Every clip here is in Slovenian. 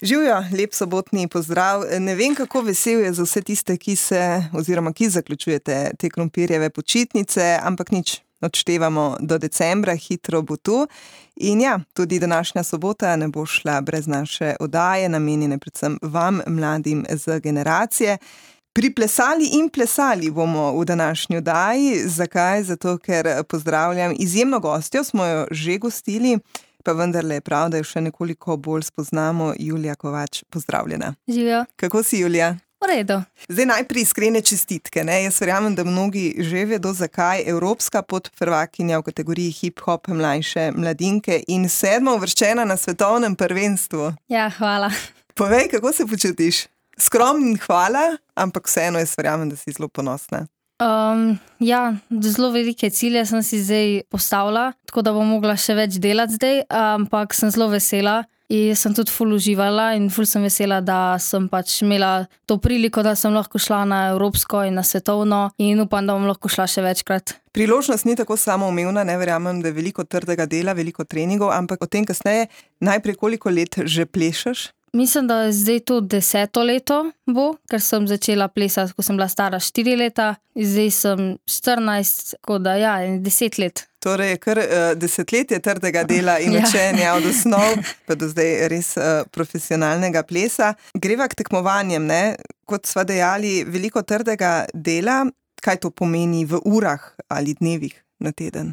Živjo, lep sobotni pozdrav. Ne vem, kako vesel je za vse tiste, ki zaključujete te krompirjeve počitnice, ampak nič, odštevamo do decembra, hitro bo tu. In ja, tudi današnja sobota ne bo šla brez naše oddaje, namenjene predvsem vam, mladim z generacije. Priplesali in plesali bomo v današnji oddaji. Zakaj? Zato, ker pozdravljam izjemno gostjo, smo jo že gostili, pa vendarle je prav, da jo še nekoliko bolj spoznamo. Julija Kovač, pozdravljena. Živijo. Kako si, Julija? V redu. Zdaj najprej iskrene čestitke. Jaz verjamem, da mnogi že vedo, zakaj. Evropska podprvakinja v kategoriji hip-hop mlajše mladinke in 7. uvrščena na svetovnem prvenstvu. Ja, hvala. Povej, kako se počutiš? Skromni hvala, ampak vseeno jaz verjamem, da si zelo ponosna. Ja, zelo velike cilje sem si zdaj postavila, tako da bom mogla še več delati zdaj, ampak sem zelo vesela in sem tudi ful uživala in ful sem vesela, da sem pač imela to priliko, da sem lahko šla na evropsko in na svetovno in upam, da bom lahko šla še večkrat. Priložnost ni tako samoumevna, ne verjamem, da je veliko trdega dela, veliko treningov, ampak o tem kasneje. Najprej, koliko let že plešeš? Mislim, da je zdaj to 10. leto bo, ker sem začela plesati, ko sem bila stara 4 leta, zdaj sem 14, tako da ja, 10 let. Torej je kar desetletje trdega dela in učenja od osnov, pa do zdaj res profesionalnega plesa. Greva k tekmovanjem, ne? Kot sva dejali, veliko trdega dela. Kaj to pomeni v urah ali dnevih na teden?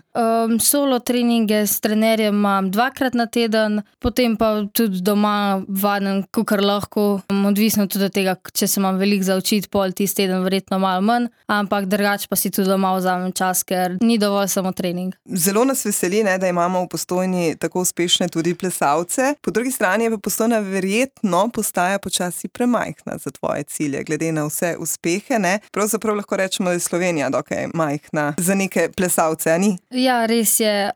Solo treninge s trenerjem imam 2-krat na teden, potem pa tudi doma vadim, kakor lahko. Odvisno tudi od tega, če se imam veliko za učiti, pol tisti teden verjetno malo manj, ampak drugače pa si tudi doma vzamem čas, ker ni dovolj samo trening. Zelo nas veseli, ne, da imamo v Postojni tako uspešne tudi plesalce. Po drugi strani je pa Postojna verjetno postaja počasi premajhna za tvoje cilje, glede na vse uspehe, ne? Pravzaprav lahko rečemo, da je Slovenija dokaj majhna za neke plesalce. Ja, res je.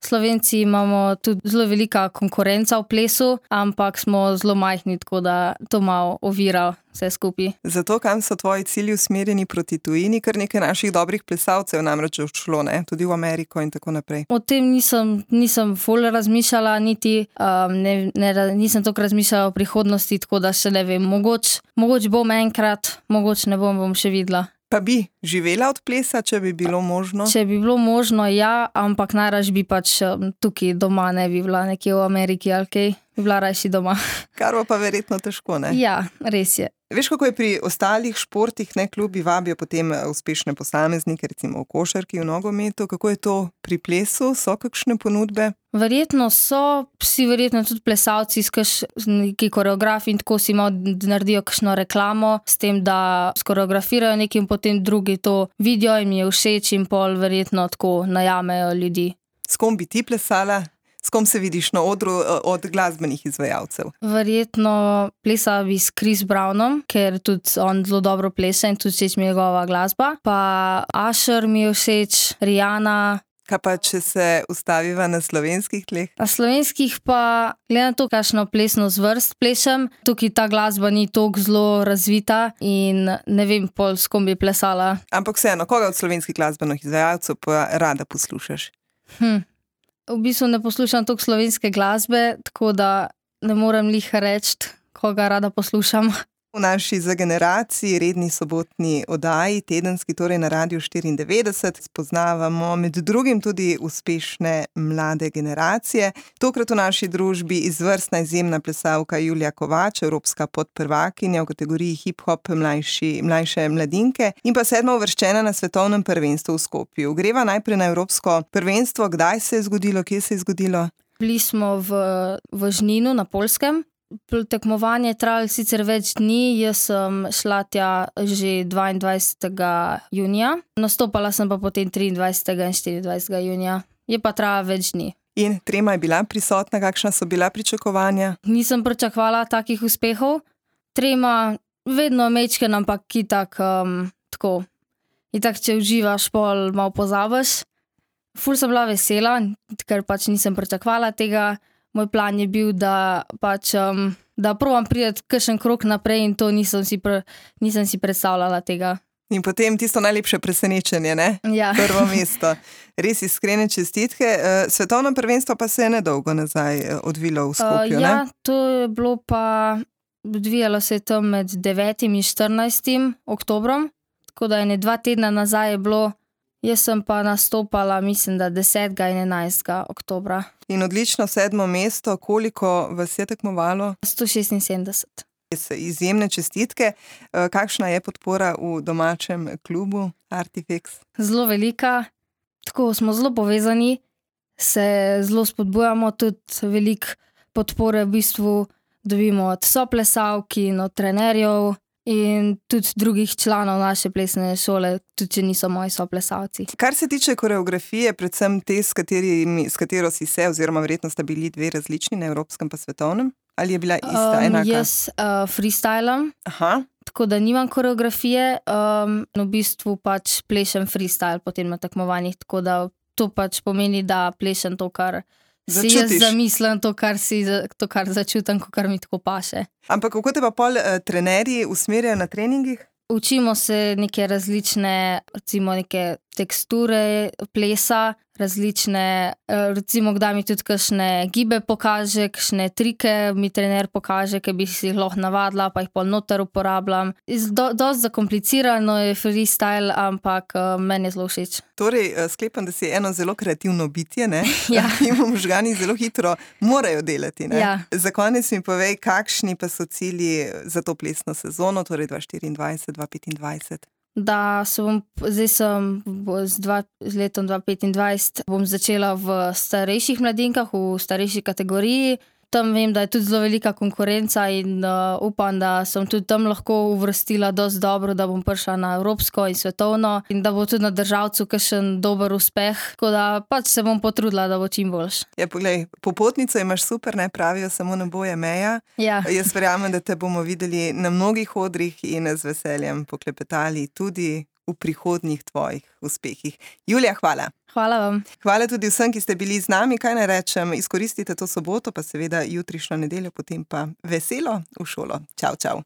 Slovenci imamo tudi zelo velika konkurenca v plesu, ampak smo zelo majhni, tako da to malo ovira vse skupaj. Zato kam so tvoji cilji usmerjeni proti tujini? Kar nekaj naših dobrih plesalcev namreč odšlo, ne? Tudi v Ameriko in tako naprej. O tem nisem ful razmišljala, niti nisem toliko razmišljala o prihodnosti, tako da še ne vem. Mogoče bom enkrat, mogoče ne bom še videla. Pa bi živela od plesa, če bi bilo možno? Če bi bilo možno, ja, ampak najraž bi pač tukaj doma, ne bi bila nekje v Ameriki ali kaj, bi bila rajši doma. Kar bo pa verjetno težko, ne? Ja, res je. Veš, kako je pri ostalih športih, ne, klubi vabijo potem uspešne posameznike, recimo v košarki, v nogometu. Kako je to pri plesu? So kakšne ponudbe? Verjetno so, vsi verjetno tudi plesalci, neki koreografi in tako si malo naredijo kakšno reklamo s tem, da skoreografirajo nekaj in potem drugi to vidijo in mi je všeč in pol verjetno tako najamejo ljudi. S kom bi ti plesala? S kom se vidiš na odru od glasbenih izvajalcev? Verjetno plesala bi s Chris Brownom, ker tudi on zelo dobro plesa in tudi všeč mi je njegova glasba. Pa Usher mi je všeč, Rihanna. Kaj pa, če se ustaviva na slovenskih tleh? Na slovenskih pa, glede na to, kakšno plesno zvrst plešem, tukaj ta glasba ni toliko zelo razvita in ne vem pol, s kom bi plesala. Ampak vseeno, koga od slovenskih glasbenih izvajalcev pa rada poslušaš? V bistvu ne poslušam toliko slovenske glasbe, tako da ne morem lih reči, koga rada poslušam. V naši Za generaciji redni sobotni oddaji, tedenski, torej na Radiu 94, spoznavamo med drugim tudi uspešne mlade generacije. Tokrat v naši družbi izvrstna izjemna plesalka Julija Kovač, evropska podprvakinja v kategoriji hip-hop mlajše mladinke in pa 7. uvrščena na svetovnem prvenstvu v Skopju. Greva najprej na evropsko prvenstvo. Kdaj se je zgodilo, kje se je zgodilo? Bili smo v Žninu na Poljskem. Tekmovanje je trajalo sicer več dni, jaz sem šla tja že 22. junija, nastopala sem pa potem 23. in 24. junija. Je pa trajalo več dni. In trema je bila prisotna, kakšna so bila pričakovanja? Nisem pričakovala takih uspehov. Trema vedno mečken, ampak itak tako. Itak, če uživaš, pol malo pozabiš. Ful sem bila vesela, ker pač nisem pričakovala tega. Moj plan je bil, da pač da probam priti kakšen krog naprej in to nisem si predstavljala tega. In potem tisto najlepše presenečenje, ne? Ja. Prvo mesto. Res iskrene čestitke. Svetovno prvenstvo pa se je nedolgo nazaj odvilo v Skopju, ne? Ja, to je bilo pa, odvijalo se je tam med 9. in 14. oktobrom, tako da 2 tedna nazaj je bilo, jaz sem pa nastopala, mislim, da 10. in 11. oktobra. In odlično 7. mesto, koliko vas je tekmovalo? 176. Izjemne čestitke. Kakšna je podpora v domačem klubu Artifex? Zelo velika, tako smo zelo povezani, se zelo spodbujamo, tudi veliko podpore v bistvu dobimo od soplesalk in od trenerjev in tudi drugih članov naše plesne šole, tudi če niso moji soplesalci. Kar se tiče koreografije, predvsem te, s katero si se, oziroma verjetno sta bili 2 različni, na evropskem pa svetovnem, ali je bila ista, enaka? Jaz freestylam, tako da nimam koreografije, v bistvu pač plešem freestyle potem na tekmovanjih, tako da to pač pomeni, da plešem to, kar si jaz zamislim, to, kar začutim, kar mi tako paše. Ampak kako te pa pol trenerji usmerjajo na treningih? Učimo se neke različne, recimo neke teksture plesa, različne, recimo kdaj mi tudi kakšne gibe pokaže, kakšne trike mi trener pokaže, ki bi si jih lahko navadila, pa jih pol noter uporabljam. Dosti zakomplicirano je freestyle, ampak meni je zelo všeč. Torej, sklepam, da si eno zelo kreativno bitje, ne? Ja. In možgani zelo hitro morajo delati, ne? Ja. Za konec mi povej, kakšni pa so cilji za to plesno sezono, torej 2024-2025? Da zdaj sem z letom 2025 bom začela v starejših mladinkah, v starejši kategoriji. Tam vem, da je tudi zelo velika konkurenca in upam, da sem tudi tam lahko uvrstila dosti dobro, da bom prišla na evropsko in svetovno in da bo tudi na državcu kakšen dober uspeh. Tako da pač se bom potrudila, da bo čim boljš. Ja, poglej, popotnico imaš super, ne, pravijo, samo nebo je meja. Ja. Jaz verjamem, da te bomo videli na mnogih odrih in z veseljem poklepetali tudi v prihodnjih tvojih uspehih. Julija, hvala. Hvala vam. Hvala tudi vsem, ki ste bili z nami. Kaj naj rečem, izkoristite to soboto, pa seveda jutrišnjo nedeljo, potem pa veselo v šolo. Čau, čau.